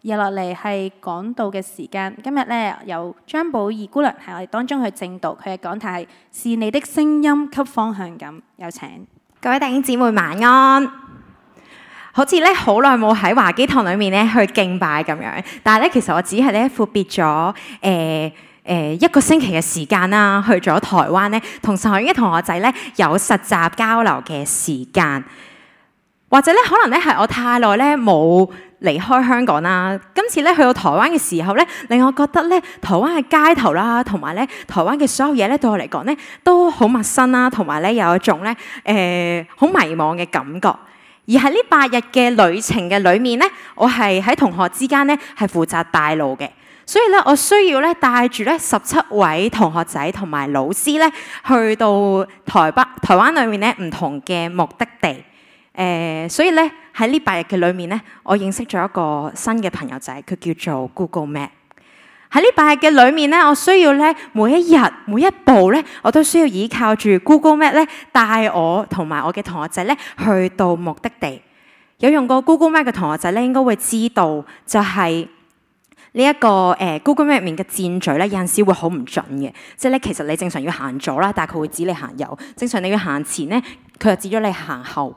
日落嚟係講道嘅時間，今日咧有張寶儀姑娘喺我哋當中去證道，佢嘅講題係是你的聲音給方向感。有請各位弟兄姊妹晚安。好似咧好耐冇喺華基堂裏面咧去敬拜咁樣，但係咧其實我只係咧闊別咗一個星期嘅時間啦，去咗台灣咧同神學院嘅同學仔咧有實習交流嘅時間，或者咧可能咧係我太耐咧冇離開香港啦。今次咧去到台灣嘅時候咧，令我覺得咧台灣嘅街頭啦，同埋咧台灣嘅所有嘢咧對我嚟講咧都好陌生啦，同埋咧有一種咧好迷茫嘅感覺。而喺呢8日嘅旅程嘅裏面咧，我係喺同學之間咧係負責帶路嘅，所以咧我需要咧帶住咧17位同學仔同埋老師咧去到台灣裏面咧唔同嘅目的地。所以咧喺呢8日嘅裏面咧，我認識咗一個新嘅朋友仔，佢叫做 Google Map。喺呢8日嘅裏面咧，我需要咧每一日每一步咧，我都需要依靠住 Google Map 咧帶我同埋我嘅同學仔咧去到目的地。有用過 Google Map 嘅同學仔咧，應該會知道就係呢一個Google Map 入面嘅箭嘴咧，有陣時會好唔準嘅。即係咧，其實你正常要行左啦，但係佢會指你行右；正常你要行前咧，佢就指咗你行後。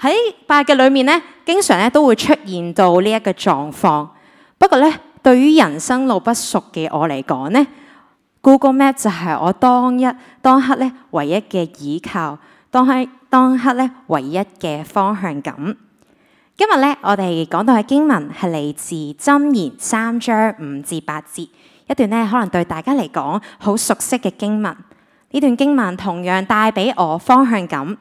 喺8日嘅裏面咧，經常咧都會出現到呢一個狀況。不過咧，對於人生路不熟嘅我嚟講咧 ，Google Map 就係我當刻咧唯一嘅依靠，當刻咧唯一嘅方向感。今日咧，我哋講到嘅經文係嚟自箴言3章5至8節，一段咧可能對大家嚟講好熟悉嘅經文。呢段經文同樣帶俾我方向感，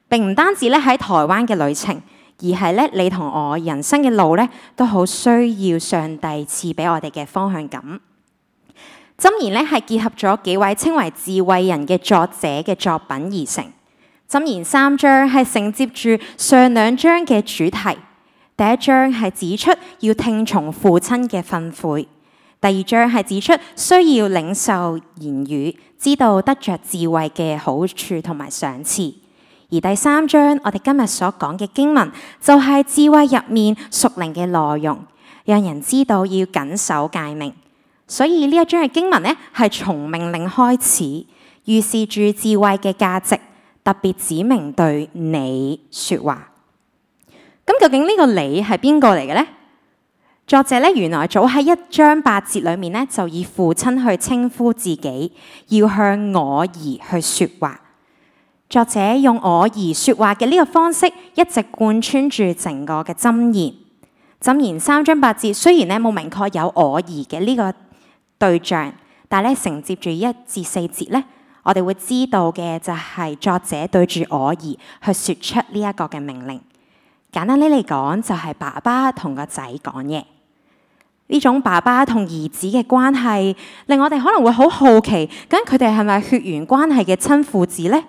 並唔單止咧喺台灣嘅旅程。而係咧，你同我人生嘅路咧，都好需要上帝賜俾我哋嘅方向感。箴言咧係結合咗幾位稱為智慧人嘅作者嘅作品而成。箴言3章係承接住上2章嘅主題。第1章係指出要聽從父親嘅訓誨，第2章係指出需要領受言語，知道得着智慧嘅好處同埋賞賜。而第3章，我哋今日所講嘅經文，就係智慧入面屬靈嘅內容，讓人知道要謹守誡命。所以呢一章嘅經文呢，係從命令開始，預示住智慧嘅價值，特別指明對你說話。咁究竟呢個你係邊個嚟嘅呢？作者呢，原來早喺1章8節裏面呢，就以父親去稱呼自己，要向我兒去說話。作者用我兒說話嘅呢個方式，一直貫穿住整個嘅箴言。箴言3章8節雖然咧冇明確有我兒嘅呢個對象，但係咧承接住1至4節咧，我哋會知道嘅就係作者對住我兒去說出呢一個嘅命令。簡單啲嚟講，就係爸爸同個仔講嘢。呢種爸爸同兒子嘅關係，令我哋可能會好好奇，究竟佢哋係咪血緣關係嘅親父子呢？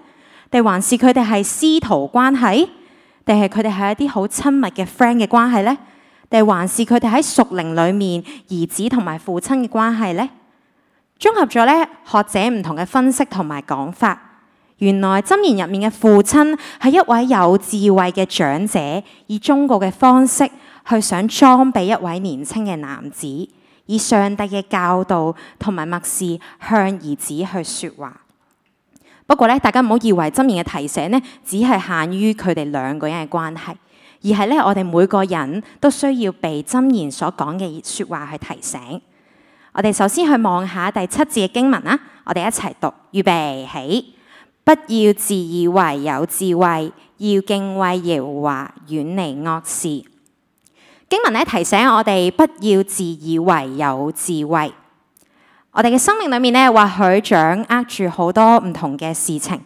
定還是佢哋係師徒關係？定係佢哋係一啲好親密嘅 friend 嘅關係呢？定還是佢哋喺屬靈裏面兒子同埋父親嘅關係呢？綜合咗咧學者唔同嘅分析同埋講法，原來箴言入面嘅父親係一位有智慧嘅長者，以忠告嘅方式去想裝備一位年輕嘅男子，以上帝嘅教導同埋默示向兒子去說話。不過咧，大家唔好以為箴言嘅提醒咧，只係限於佢哋2個人嘅關係，而係咧我哋每個人都需要被箴言所講嘅說話去提醒。我哋首先去望下第7節嘅經文啦，我哋一齊讀，預備起，不要自以為有智慧，要敬畏耶和華，遠離惡事。經文咧提醒我哋不要自以為有智慧。我哋嘅生命裏面咧，或許掌握住好多唔同嘅事情。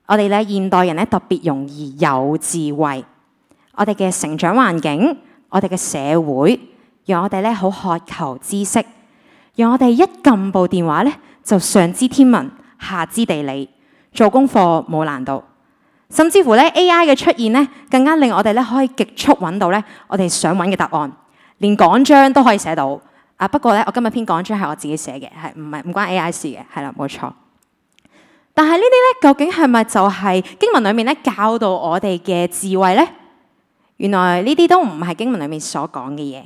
我哋咧現代人咧特別容易有智慧。我哋嘅成長環境，我哋嘅社會，讓我哋咧好渴求知識，讓我哋一撳部電話咧就上知天文，下知地理，做功課冇難度。甚至乎咧 AI 嘅出現咧，更加令我哋咧可以極速揾到咧我哋想揾嘅答案，連講章都可以寫到。不過咧，我今日篇講章係我自己寫嘅，係唔關 AI 事嘅，係啦，冇錯。但係呢啲咧，究竟係咪就係經文裏面咧教導我哋嘅智慧呢？原來呢啲都唔係經文裏面所講嘅嘢。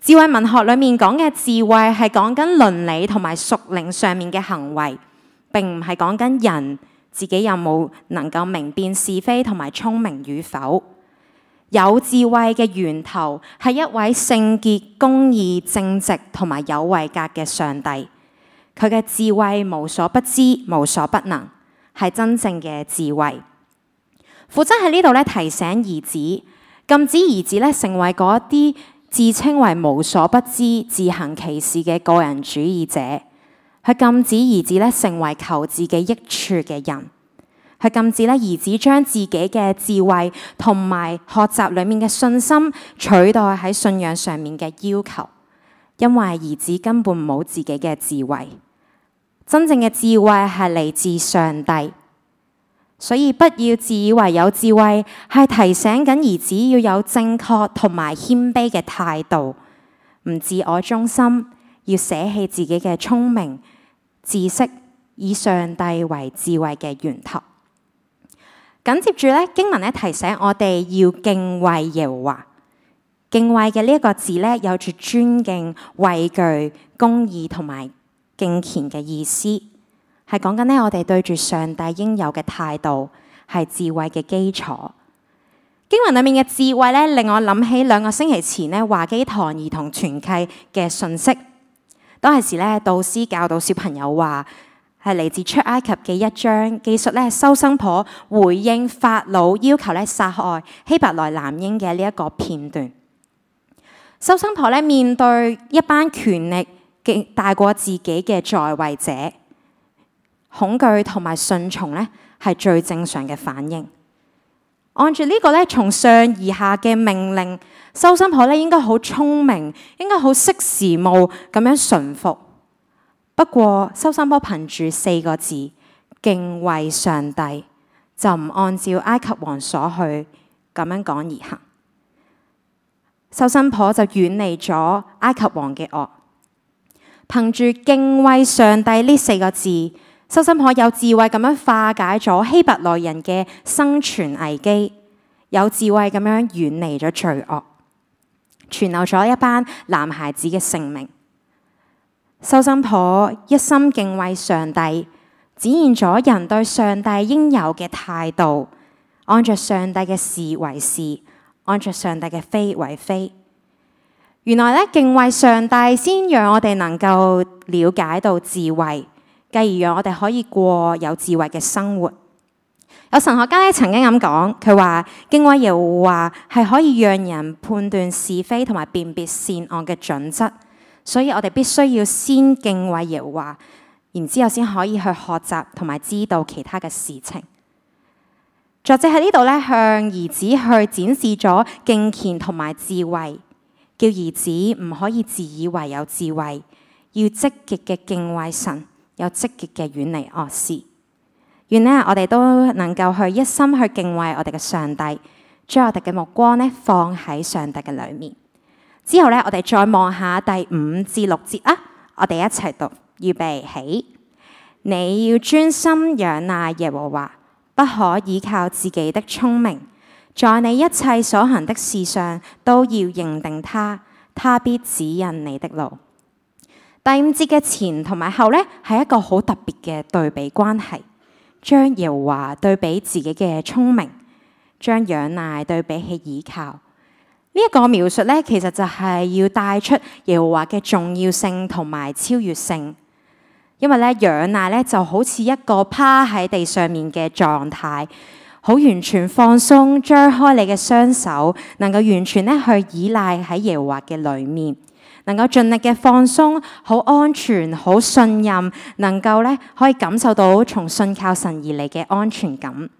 智慧文學裏面講嘅智慧係講緊倫理同埋屬靈上面嘅行為，並唔係講緊人自己有冇能夠明辨是非同埋聰明與否。有智慧嘅源頭係一位聖潔、公義、正直同埋有位格嘅上帝。佢嘅智慧無所不知、無所不能，係真正嘅智慧。父親喺呢度咧提醒兒子，禁止兒子咧成為嗰一啲自稱為無所不知、自行其是嘅個人主義者。佢禁止兒子咧成為求自己益處嘅人。佢禁止咧兒子將自己嘅智慧同埋學習裏面嘅信心取代喺信仰上面嘅要求，因為兒子根本冇自己嘅智慧。真正嘅智慧係嚟自上帝，所以不要自以為有智慧，係提醒緊兒子要有正確同埋謙卑嘅態度，唔自我中心，要捨棄自己嘅聰明知識，以上帝為智慧嘅源頭。緊接住咧，經文咧提醒我哋要敬畏耶和華。敬畏嘅呢一個字咧，有住尊敬、畏懼、公義同埋敬虔嘅意思，係講緊咧我哋對住上帝應有嘅態度，係智慧嘅基礎。經文裏面嘅智慧咧，令我諗起2個星期前咧華基堂兒童團契嘅信息。當時咧，導師教導小朋友話，係嚟自出埃及嘅1章，記述咧收生婆回應法老要求咧殺害希伯來男嬰嘅呢一個片段。收生婆咧面對一班權力大過自己嘅在位者，恐懼同埋順從咧係最正常嘅反應。按住呢個咧從上而下嘅命令，收生婆咧應該好聰明，應該好識時務咁樣順服。不過收生婆憑住4個字敬畏上帝，就唔按照埃及王所去咁樣講而行。收生婆就遠離咗埃及王嘅惡。憑住敬畏上帝呢4個字，收生婆有智慧咁樣化解咗希伯來人嘅生存危機，有智慧咁樣遠離咗罪惡，存留咗一班男孩子嘅性命。收生婆一心敬畏上帝，展現咗人對上帝應有嘅態度，按着上帝嘅是為是，按着上帝嘅非為非。原來咧敬畏上帝，先讓我哋能夠了解到智慧，繼而讓我哋可以過有智慧嘅生活。有神學家咧曾經咁講，佢話敬畏耶和華係可以讓人判斷是非同埋辨別善惡嘅準則。所以我哋必須要先敬畏耶和華，然之後先可以去學習同埋知道其他嘅事情。作者喺呢度咧向兒子去展示咗敬虔同埋智慧，叫兒子唔可以自以為有智慧，要積極嘅敬畏神，有積極嘅遠離惡事。願呢我哋都能夠去一心去敬畏我哋嘅上帝，將我哋嘅目光呢放喺上帝嘅裏面。之後咧，我哋再望下第5至6節啊，我哋一齊讀，預備起。你要專心仰賴耶和華，不可依靠自己的聰明，在你一切所行的事上都要認定他，他必指引你的路。第5節嘅前同埋後咧，係一個好特別嘅對比關係，將耶和華對比自己嘅聰明，將仰賴對比起倚靠。呢一個描述咧，其實就係要帶出耶和華嘅重要性同埋超越性。因為咧，仰賴咧就好似一個趴喺地上面嘅狀態，好完全放鬆，張開你嘅雙手，能夠完全咧去依賴喺耶和華嘅裏面，能夠盡力嘅放鬆，好安全，好信任，能夠咧可以感受到從信靠神而嚟嘅安全感。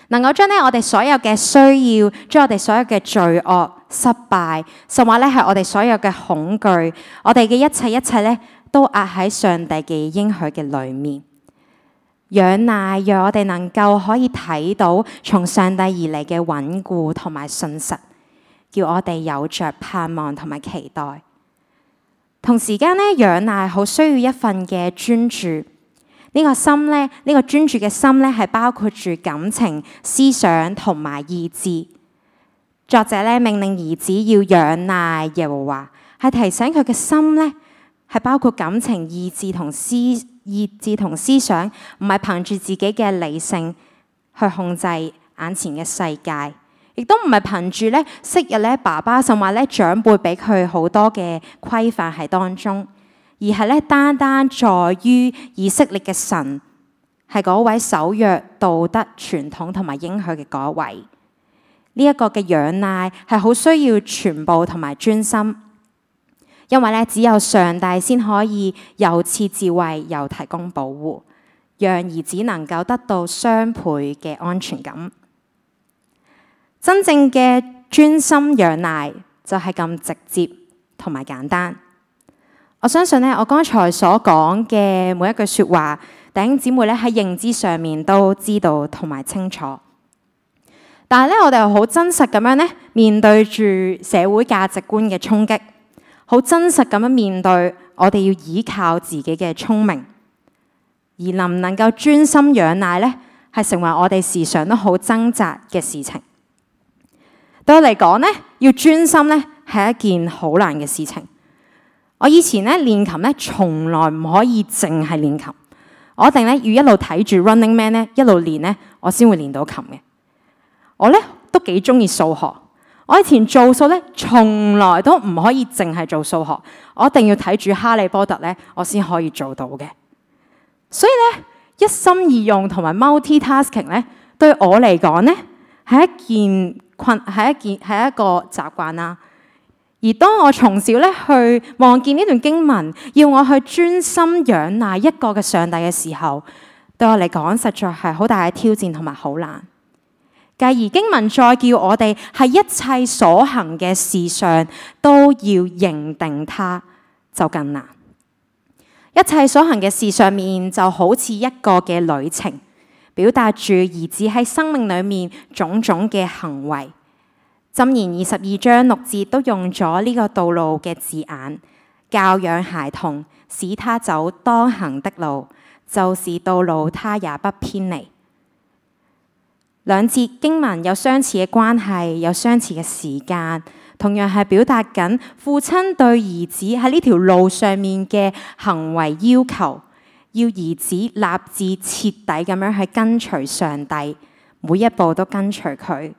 能夠將我哋所有嘅需要，將我哋所有嘅罪惡、失敗，甚或咧係我哋所有嘅恐懼，我哋嘅一切咧，都壓喺上帝嘅應許嘅裏面。仰賴讓我哋能夠可以睇到從上帝而嚟嘅穩固同埋信實，叫我哋有着盼望同埋期待。同時間咧，仰賴好需要一份嘅專注。呢個心咧，呢個專注嘅心咧，係包括住感情、思想同埋意志。作者咧命令兒子要仰賴耶和華，係提醒佢嘅心咧係包括感情、意志同思想，唔係憑住自己嘅理性去控制眼前嘅世界，亦都唔係憑住咧昔日咧爸爸甚或咧長輩俾佢好多嘅規範喺當中，而係咧單單在於以色列嘅神係嗰位守約、道德、傳統同埋應許嘅嗰位。呢一個嘅仰賴係好需要全部同埋專心，因為咧只有上帝先可以又賜智慧又提供保護，讓兒子能夠得到雙倍嘅安全感。真正嘅專心仰賴就係咁直接同埋簡單。我相信咧，我剛才所講嘅每一句說話，弟兄姊妹咧喺認知上面都知道同埋清楚。但係咧，我哋又好真實咁樣咧，面對住社會價值觀嘅衝擊，好真實咁樣面對我哋要依靠自己嘅聰明，而能唔能夠專心仰賴咧，係成為我哋時常都好掙扎嘅事情。對我嚟講咧，要專心咧係一件好難嘅事情。我以前咧練琴咧，從來唔可以淨係練琴，我一定咧要一路睇住 Running Man 咧，一路練咧，我先會練到琴嘅。我咧都幾中意數學，我以前做數咧，從來都唔可以淨係做數學，我一定要睇住哈利波特咧，我先可以做到嘅。所以咧，一心二用同埋 multitasking 咧，對我嚟講咧係一個習慣啦。而當我從小咧去望見呢段經文，要我去專心仰賴一個嘅上帝嘅時候，對我嚟講實在係好大嘅挑戰同埋好難。繼而經文再叫我哋喺一切所行嘅事上都要認定他，就更難。一切所行嘅事上面就好似一個嘅旅程，表達住兒子喺生命裏面種種嘅行為。箴言22章6節都用咗呢個道路嘅字眼，教養孩童，使他走當行的路，就是道路他也不偏離。兩節經文有相似嘅關係，有相似嘅時間，同樣係表達緊父親對兒子喺呢條路上面嘅行為要求，要兒子立志徹底咁樣去跟隨上帝，每一步都跟隨佢，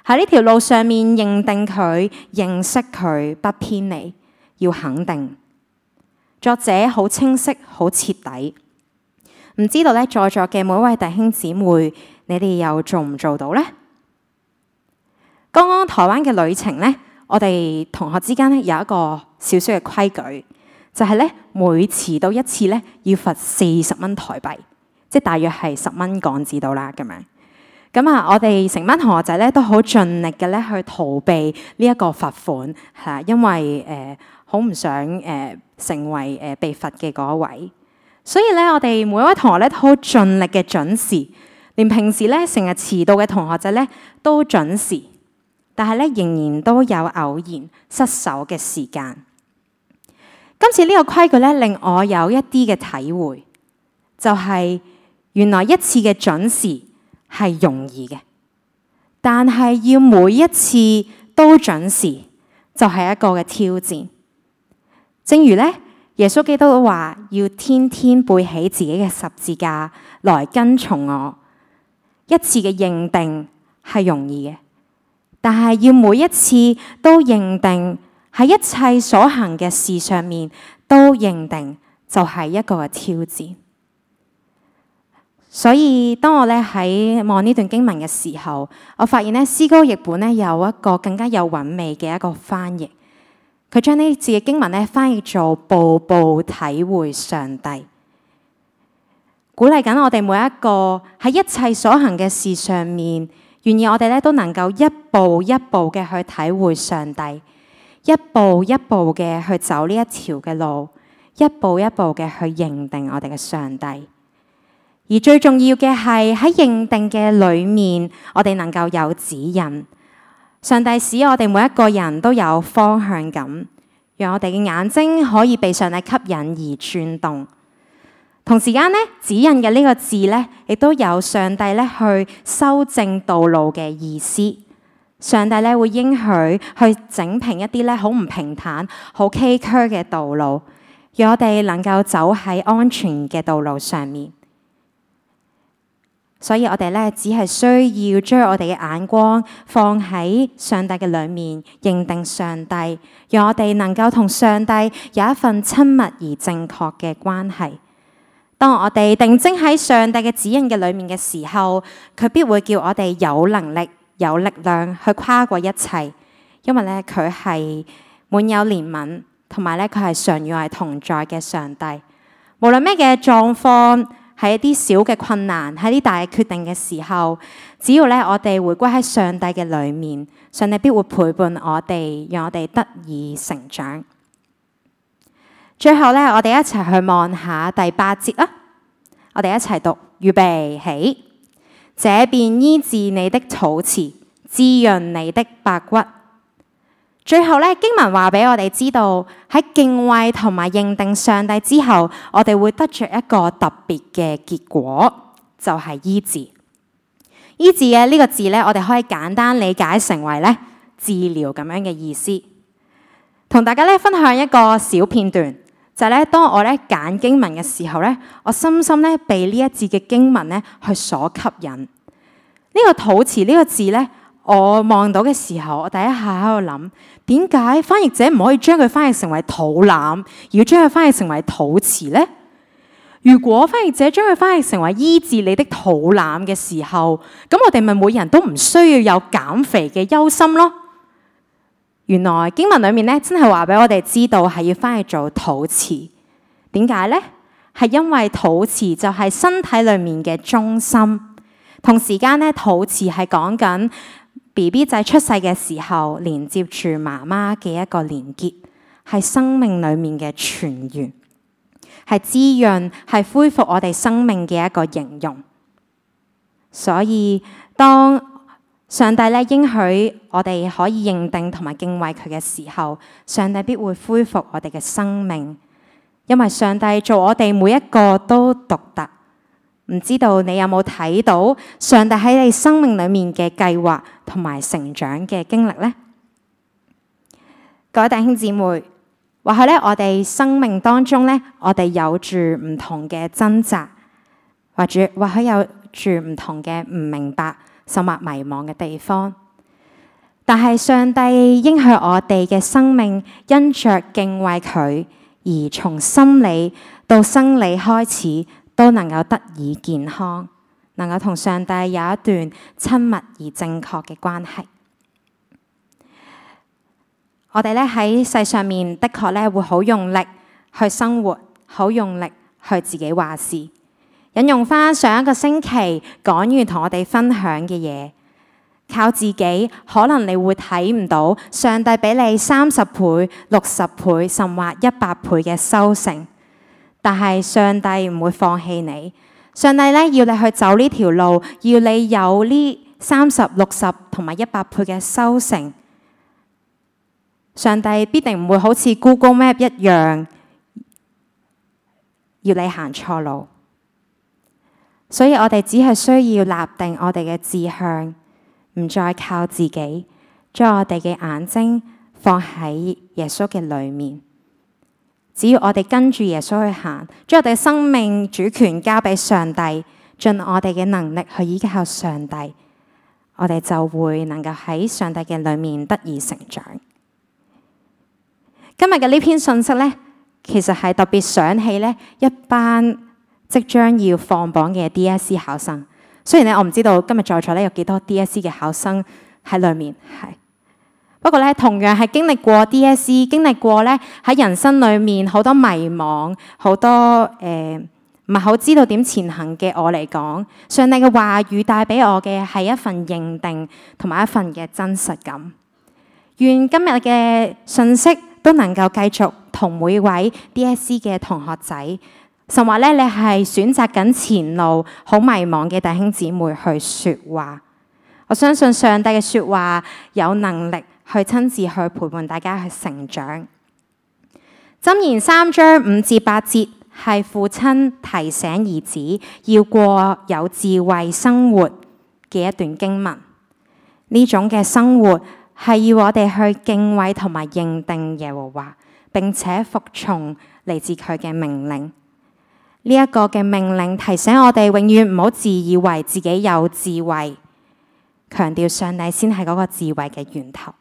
喺呢條路上面認定佢、認識佢，不偏離，要肯定。作者好清晰、好徹底。唔知道咧，在座嘅每一位弟兄姊妹，你哋又做唔做到呢？剛剛台灣嘅旅程呢，我哋同學之間咧有一個少少嘅規矩，就係咧每遲到一次咧要罰40蚊台幣，即係大約係10蚊港紙到啦咁樣。咁啊，我哋成班同學仔咧都好盡力嘅咧去逃避呢一個罰款，係因為好唔想成為被罰嘅嗰一位。所以咧，我哋每一位同學咧都好盡力嘅準時，連平時咧成日遲到嘅同學仔咧都準時，但係咧仍然都有偶然失手嘅時間。今次呢個規矩咧令我有一啲嘅體會，就係原來一次嘅準時係容易嘅，但係要每一次都準時就係一個嘅挑戰。正如咧，耶穌基督都話要天天背起自己嘅十字架來跟從我。一次嘅認定係容易嘅，但係要每一次都認定喺一切所行嘅事上面都認定，就係一個嘅挑戰。所以當我咧喺望呢段經文嘅時候，我發現咧詩歌譯本咧有一個更加有韻味嘅一個翻譯。佢將呢字嘅經文咧翻譯做步步體會上帝，鼓勵緊我哋每一個喺一切所行嘅事上面，願意我哋咧都能夠一步一步嘅去體會上帝，一步一步嘅去走呢一條嘅路，一步一步嘅去認定我哋嘅上帝。而最重要嘅係喺認定嘅裏面，我哋能夠有指引。上帝使我哋每一個人都有方向感，讓我哋嘅眼睛可以被上帝吸引而轉動。同時間咧，指引嘅呢個字咧，亦都有上帝咧去修正道路嘅意思。上帝咧會應許去整平一啲咧好唔平坦、好崎嶇嘅道路，讓我哋能夠走喺安全嘅道路上面。所以我哋咧只係需要將我哋嘅眼光放喺上帝嘅裏面，認定上帝，讓我哋能夠同上帝有一份親密而正確嘅關係。當我哋定睛喺上帝嘅指引嘅裏面嘅時候，佢必會叫我哋有能力、有力量去跨過一切，因為咧佢係滿有憐憫，同埋咧佢係常與我哋同在嘅上帝。無論咩嘅狀況，喺一啲小嘅困難，喺啲大嘅決定嘅時候，只要咧我哋回歸喺上帝嘅裏面，上帝必會陪伴我哋，讓我哋得以成長。最後咧，我哋一齊去望下第8節啦。我哋一齊讀，預備起，這便醫治你的肚臍，滋潤你的百骨。最後咧，經文話俾我哋知道，喺敬畏同埋認定上帝之後，我哋會得着一個特別嘅結果，就係醫治。醫治嘅呢個字咧，我哋可以簡單理解成為咧治療咁樣嘅意思。同大家咧分享一個小片段，就係咧當我咧揀經文嘅時候咧，我深深咧被呢一節嘅經文咧去所吸引。呢個肚臍呢個字咧，我望到嘅時候，我第一下喺度諗，點解翻譯者唔可以將佢翻譯成為肚腩，而要將佢翻譯成為肚臍呢？如果翻譯者將佢翻譯成為醫治你的肚腩嘅時候，咁我哋咪每人都唔需要有減肥嘅憂心咯。原來經文裏面咧真係話俾我哋知道係要翻譯做肚臍。點解呢？係因為肚臍就係身體裏面嘅中心，同時間咧肚臍係講緊BB 仔出世嘅時候，連接住媽媽嘅一個連結，係生命裏面嘅泉源，係滋潤，係恢復我哋生命嘅一個形容。所以當上帝咧應許我哋可以認定同埋敬畏佢嘅時候，上帝必會恢復我哋嘅生命，因為上帝做我哋每一個都獨特。唔知道你有冇睇到上帝喺你生命裏面嘅計劃同埋成長嘅經歷呢？各位弟兄姊妹，或許咧我哋生命當中咧，我哋有住唔同嘅掙扎，或許有住唔同嘅唔明白，甚或迷茫嘅地方。但係上帝應許我哋嘅生命，因着敬畏佢，而從心理到生理開始，都能夠得以健康，能夠同上帝有一段親密而正確嘅關係。我哋咧喺世上面的確咧會好用力去生活，好用力去自己話事。引用翻上一個星期講員同我哋分享嘅嘢，靠自己可能你會睇唔到上帝俾你30倍、60倍，甚或100倍嘅收成。但係上帝唔會放棄你，上帝咧要你去走呢條路，要你有呢30、60同埋100倍嘅收成。上帝必定唔會好似 Google Map 一樣，要你行錯路。所以我哋只係需要立定我哋嘅志向，唔再靠自己，將我哋嘅眼睛放喺耶穌嘅裏面。只要我哋跟住耶穌去行，將我哋嘅生命主權交俾上帝，盡我哋嘅能力去依靠上帝，我哋就會能夠喺上帝嘅裏面得以成長。今日嘅呢篇信息呢，其實係特別想起呢一班即將要放榜嘅 DSE 考生。雖然咧我唔知道今日在座咧有幾多 DSE 嘅考生喺裏面，不過咧同樣係經歷過 DSE， 經歷過咧喺人生裏面好多迷茫，好多唔係好知道點前行嘅我嚟講，上帝嘅話語帶俾我嘅係一份認定同埋一份嘅真實感。願今日嘅信息都能夠繼續同每位 DSE 嘅同學仔，甚或咧你係選擇緊前路好迷茫嘅弟兄姊妹去說話。我相信上帝嘅說話有能力去親自去陪伴大家去成長。箴言3章5至8節係父親提醒兒子要過有智慧生活嘅一段經文。呢種嘅生活係要我哋去敬畏同埋認定耶和華，並且服從嚟自佢嘅命令。呢一個嘅命令提醒我哋永遠唔好自以為自己有智慧，強調上帝先係嗰個智慧嘅源頭。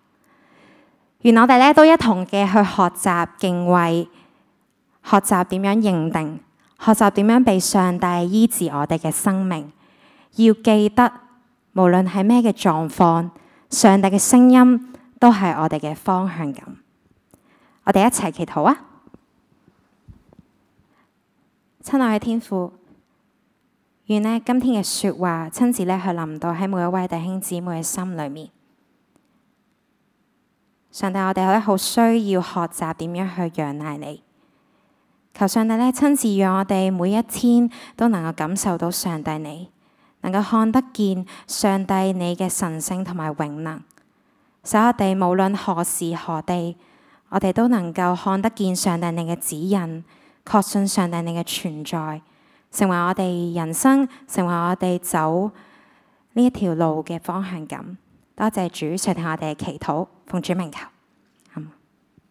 願我哋咧都一同嘅去學習敬畏，學習點樣認定，學習點樣被上帝醫治我哋嘅生命。要記得，無論係咩嘅狀況，上帝嘅聲音都係我哋嘅方向感。我哋一齊祈禱啊！親愛嘅天父，願呢今天嘅說話親自咧去臨到喺每一位弟兄姊妹嘅心裏面。上帝，我哋咧好需要學習點樣去仰賴你。求上帝咧親自讓我哋每一天都能夠感受到上帝你，能夠看得見上帝你嘅神聖同埋永能，使我哋無論何時何地，我哋都能夠看得見上帝你嘅指引，確信上帝你嘅存在，成為我哋人生，成為我哋走呢一條路嘅方向感。多謝主垂聽我哋嘅祈禱，奉主名求。